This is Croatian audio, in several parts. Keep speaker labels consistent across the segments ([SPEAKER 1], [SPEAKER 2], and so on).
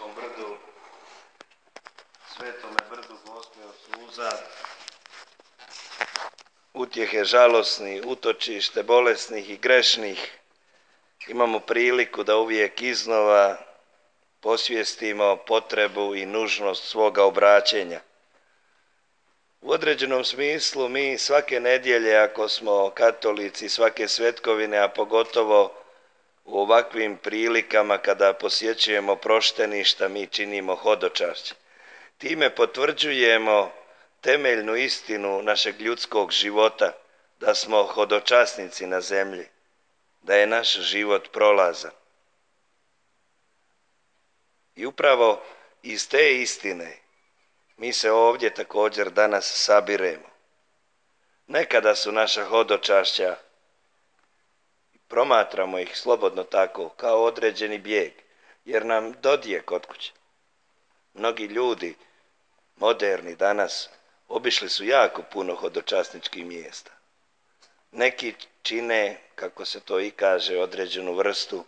[SPEAKER 1] Ravničkom brdu, Svetome brdu Gospe od suza, utjehe žalosnih, utočište bolesnih i grešnih, imamo priliku da uvijek iznova posvijestimo potrebu i nužnost svoga obraćenja. U određenom smislu mi svake nedjelje, ako smo katolici, svake svetkovine, a pogotovo u ovakvim prilikama kada posjećujemo prošteništa, mi činimo hodočašće. Time potvrđujemo temeljnu istinu našeg ljudskog života, da smo hodočasnici na zemlji, da je naš život prolazan. I upravo iz te istine mi se ovdje također danas sabiremo. Nekada su naša hodočašća, promatramo ih slobodno tako, kao određeni bijeg, jer nam dodije kod kuće. Mnogi ljudi, moderni danas, obišli su jako puno hodočasničkih mjesta. Neki čine, kako se to i kaže, određenu vrstu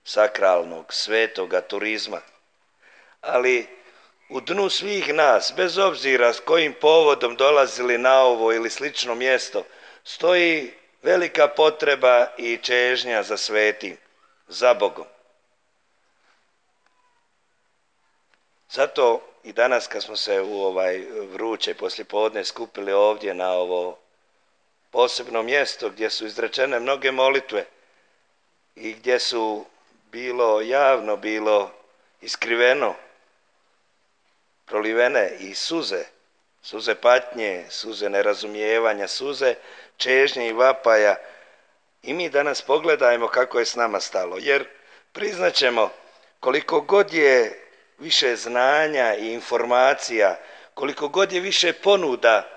[SPEAKER 1] sakralnog, svetoga turizma. Ali u dnu svih nas, bez obzira s kojim povodom dolazili na ovo ili slično mjesto, stoji velika potreba i čežnja za svetim, za Bogom. Zato i danas kad smo se u vruće poslijepodne skupili ovdje na ovo posebno mjesto gdje su izrečene mnoge molitve i gdje su bilo javno, bilo iskriveno prolivene i suze patnje, suze nerazumijevanja, suze čežnje i vapaja, i mi danas pogledajmo kako je s nama stalo, jer priznaćemo, koliko god je više znanja i informacija, koliko god je više ponuda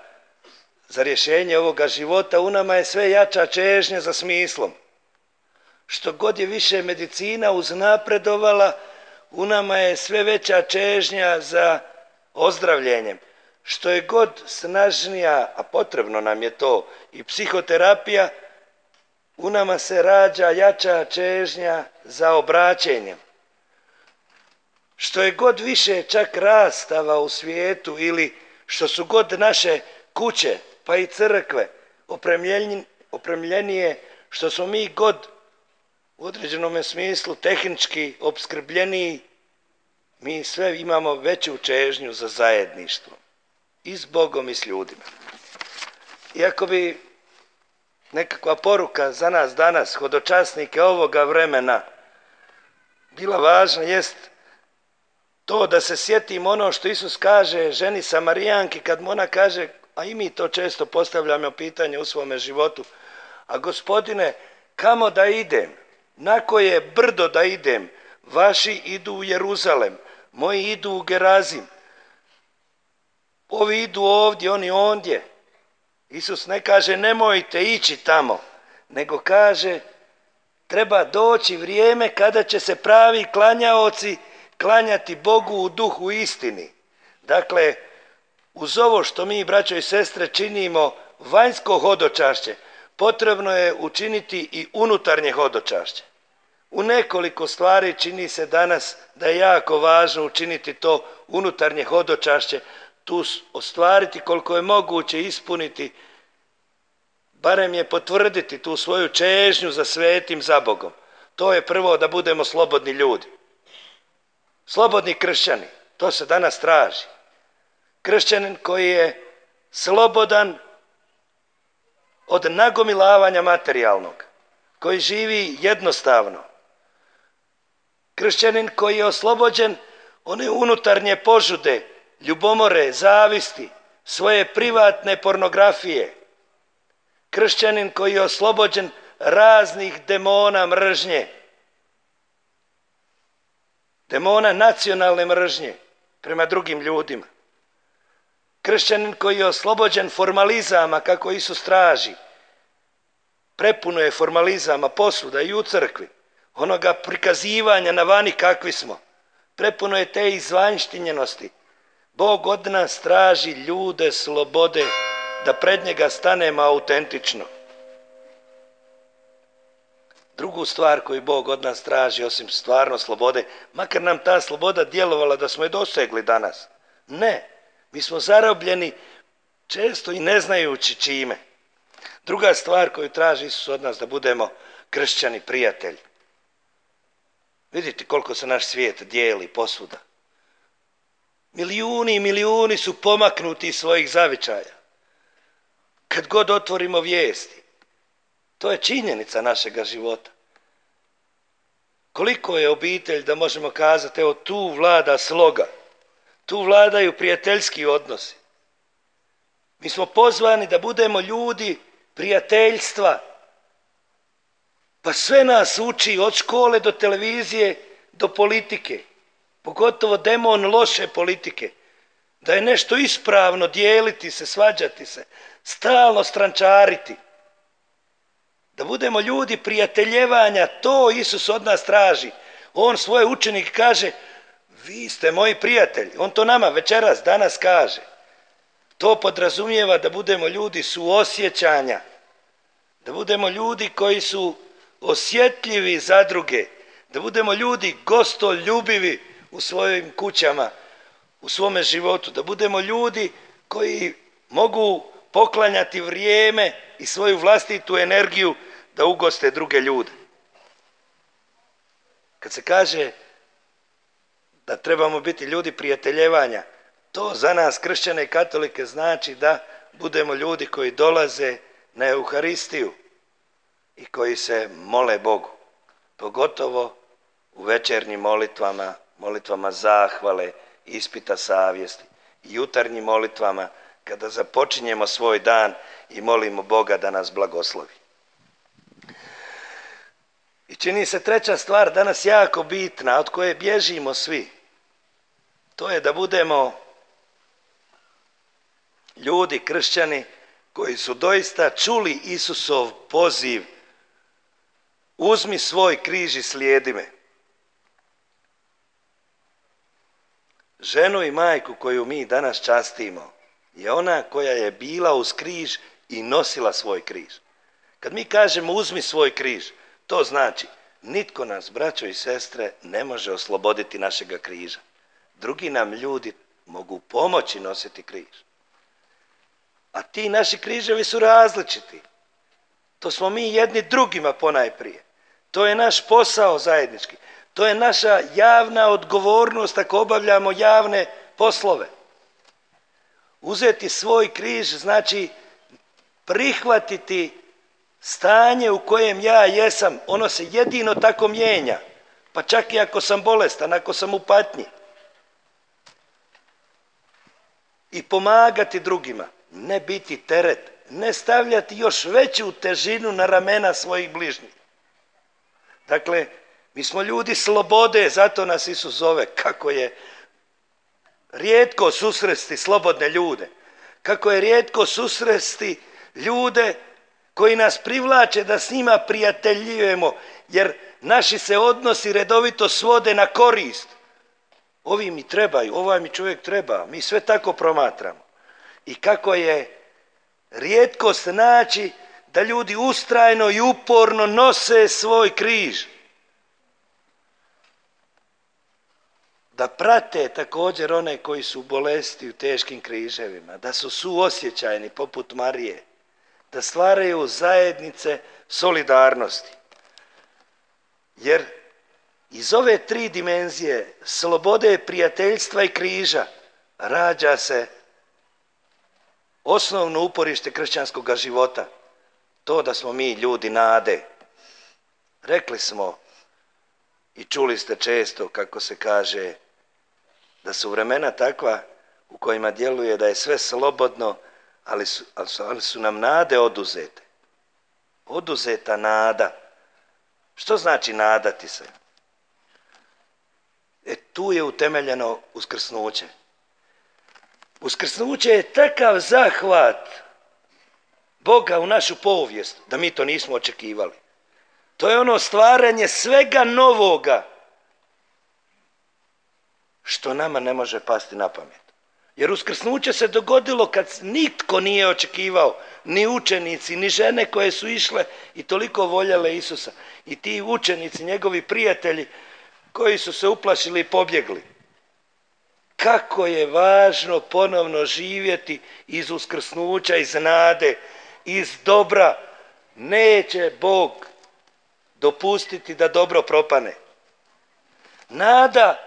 [SPEAKER 1] za rješenje ovoga života, u nama je sve jača čežnja za smislom. Što god je više medicina uznapredovala, u nama je sve veća čežnja za ozdravljenjem. Što je god snažnija, a potrebno nam je to, i psihoterapija, u nama se rađa jača čežnja za obraćenjem. Što je god više čak rastava u svijetu, ili što su god naše kuće, pa i crkve opremljenije, što smo mi god u određenom smislu tehnički opskrbljeniji, mi sve imamo veću čežnju za zajedništvo i s Bogom i s ljudima. Iako bi nekakva poruka za nas danas, hodočasnike ovoga vremena, bila važna, jest to da se sjetimo ono što Isus kaže ženi Samarijanki kad mu ona kaže, a i mi to često postavljamo pitanje u svome životu, a Gospodine, kamo da idem? Na koje brdo da idem? Vaši idu u Jeruzalem, moji idu u Gerazim. Ovi idu ovdje, oni ondje. Isus ne kaže nemojte ići tamo, nego kaže treba doći vrijeme kada će se pravi klanjaoci klanjati Bogu u duhu i istini. Dakle, uz ovo što mi, braćo i sestre, činimo vanjsko hodočašće, potrebno je učiniti i unutarnje hodočašće. U nekoliko stvari čini se danas da je jako važno učiniti to unutarnje hodočašće, tu ostvariti koliko je moguće ispuniti, barem je potvrditi tu svoju čežnju za svetim, za Bogom. To je prvo da budemo slobodni ljudi. Slobodni kršćani, to se danas traži. Kršćanin koji je slobodan od nagomilavanja materijalnog, koji živi jednostavno. Kršćanin koji je oslobođen one unutarnje požude, ljubomore, zavisti, svoje privatne pornografije. Kršćanin koji je oslobođen raznih demona mržnje, demona nacionalne mržnje prema drugim ljudima. Kršćanin koji je oslobođen formalizama kako Isus traži. Prepuno je formalizama posvuda i u crkvi, onoga prikazivanja na vani kakvi smo. Prepuno je te izvanjštinjenosti. Bog od nas traži ljude slobode, da pred njega stanemo autentično. Drugu stvar koju Bog od nas traži, osim stvarno slobode, makar nam ta sloboda djelovala da smo je dosegli danas. Ne, mi smo zarobljeni često i ne znajući čime. Druga stvar koju traži Isus od nas, da budemo kršćani prijatelji. Vidite koliko se naš svijet dijeli posvuda. Milijuni i milijuni su pomaknuti iz svojih zavičaja. Kad god otvorimo vijesti, to je činjenica našega života. Koliko je obitelj da možemo kazati, evo tu vlada sloga, tu vladaju prijateljski odnosi. Mi smo pozvani da budemo ljudi prijateljstva. Pa sve nas uči od škole do televizije do politike. Pogotovo demon loše politike. Da je nešto ispravno dijeliti se, svađati se, stalno strančariti. Da budemo ljudi prijateljevanja, to Isus od nas traži. On svoje učenike kaže, vi ste moji prijatelji. On to nama večeras, danas kaže. To podrazumijeva da budemo ljudi suosjećanja. Da budemo ljudi koji su osjetljivi za druge. Da budemo ljudi gostoljubivi u svojim kućama, u svome životu. Da budemo ljudi koji mogu poklanjati vrijeme i svoju vlastitu energiju da ugoste druge ljude. Kad se kaže da trebamo biti ljudi prijateljevanja, to za nas kršćane i katolike znači da budemo ljudi koji dolaze na Euharistiju i koji se mole Bogu. Pogotovo u večernjim molitvama, molitvama zahvale, ispita savjesti i jutarnjim molitvama kada započinjemo svoj dan i molimo Boga da nas blagoslovi. I čini se treća stvar danas jako bitna, od koje bježimo svi. To je da budemo ljudi, kršćani, koji su doista čuli Isusov poziv: uzmi svoj križ i slijedi me. Ženu i majku koju mi danas častimo je ona koja je bila uz križ i nosila svoj križ. Kad mi kažemo uzmi svoj križ, to znači nitko nas, braćo i sestre, ne može osloboditi našega križa. Drugi nam ljudi mogu pomoći nositi križ. A ti naši križevi su različiti. To smo mi jedni drugima ponajprije. To je naš posao zajednički. To je naša javna odgovornost ako obavljamo javne poslove. Uzeti svoj križ znači prihvatiti stanje u kojem ja jesam. Ono se jedino tako mijenja. Pa čak i ako sam bolestan, ako sam u patnji. I pomagati drugima. Ne biti teret. Ne stavljati još veću težinu na ramena svojih bližnjih. Dakle, mi smo ljudi slobode, zato nas Isus zove. Kako je rijetko susresti slobodne ljude. Kako je rijetko susresti ljude koji nas privlače da s njima prijateljujemo, jer naši se odnosi redovito svode na korist. Ovi mi trebaju, ovaj mi čovjek treba, mi sve tako promatramo. I kako je rijetkost naći da ljudi ustrajno i uporno nose svoj križ. Da prate također one koji su bolesti u teškim križevima, da su suosjećajni poput Marije, da stvaraju zajednice solidarnosti. Jer iz ove tri dimenzije slobode, prijateljstva i križa rađa se osnovno uporište kršćanskog života. To da smo mi ljudi nade. Rekli smo i čuli ste često kako se kaže da su vremena takva u kojima djeluje da je sve slobodno, ali su nam nade oduzete. Oduzeta nada. Što znači nadati se? Tu je utemeljeno uskrsnuće. Uskrsnuće je takav zahvat Boga u našu povijest da mi to nismo očekivali. To je ono stvaranje svega novoga što nama ne može pasti na pamet. Jer uskrsnuće se dogodilo kad nitko nije očekivao, ni učenici, ni žene koje su išle i toliko voljele Isusa. I ti učenici, njegovi prijatelji, koji su se uplašili i pobjegli. Kako je važno ponovno živjeti iz uskrsnuća, iz nade, iz dobra. Neće Bog dopustiti da dobro propane. Nada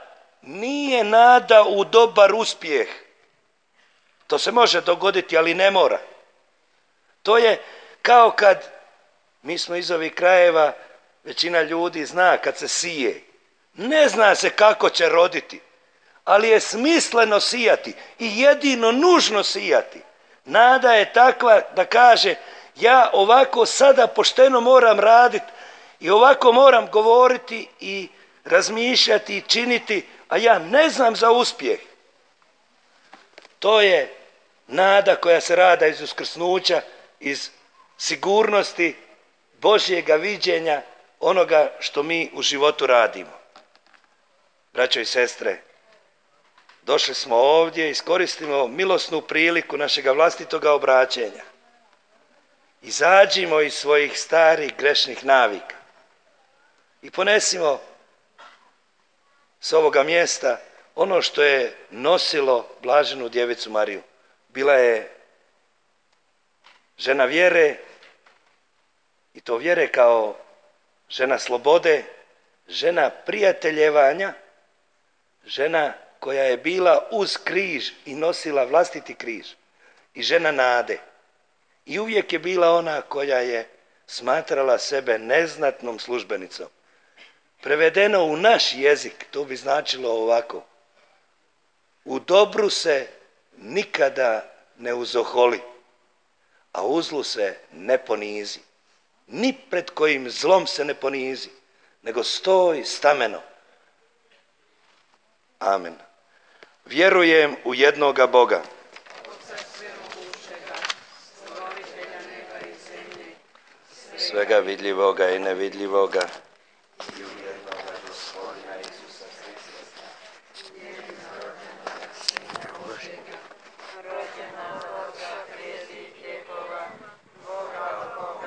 [SPEAKER 1] nije nada u dobar uspjeh. To se može dogoditi, ali ne mora. To je kao kad, mi smo iz ovih krajeva, većina ljudi zna kad se sije. Ne zna se kako će roditi, ali je smisleno sijati i jedino nužno sijati. Nada je takva da kaže, ja ovako sada pošteno moram raditi i ovako moram govoriti i razmišljati i činiti, a ja ne znam za uspjeh. To je nada koja se rada iz uskrsnuća, iz sigurnosti Božjega viđenja onoga što mi u životu radimo. Braćo i sestre, došli smo ovdje, iskoristimo milosnu priliku našega vlastitoga obraćenja. Izađimo iz svojih starih grešnih navika i ponesimo s ovoga mjesta ono što je nosilo blaženu djevicu Mariju. Bila je žena vjere, i to vjere kao žena slobode, žena prijateljevanja, žena koja je bila uz križ i nosila vlastiti križ, i žena nade. I uvijek je bila ona koja je smatrala sebe neznatnom službenicom. Prevedeno u naš jezik, to bi značilo ovako: u dobru se nikada ne uzoholi, a u zlu se ne ponizi. Ni pred kojim zlom se ne ponizi, nego stoj stameno. Amen. Vjerujem u jednoga Boga, svega vidljivoga i nevidljivoga,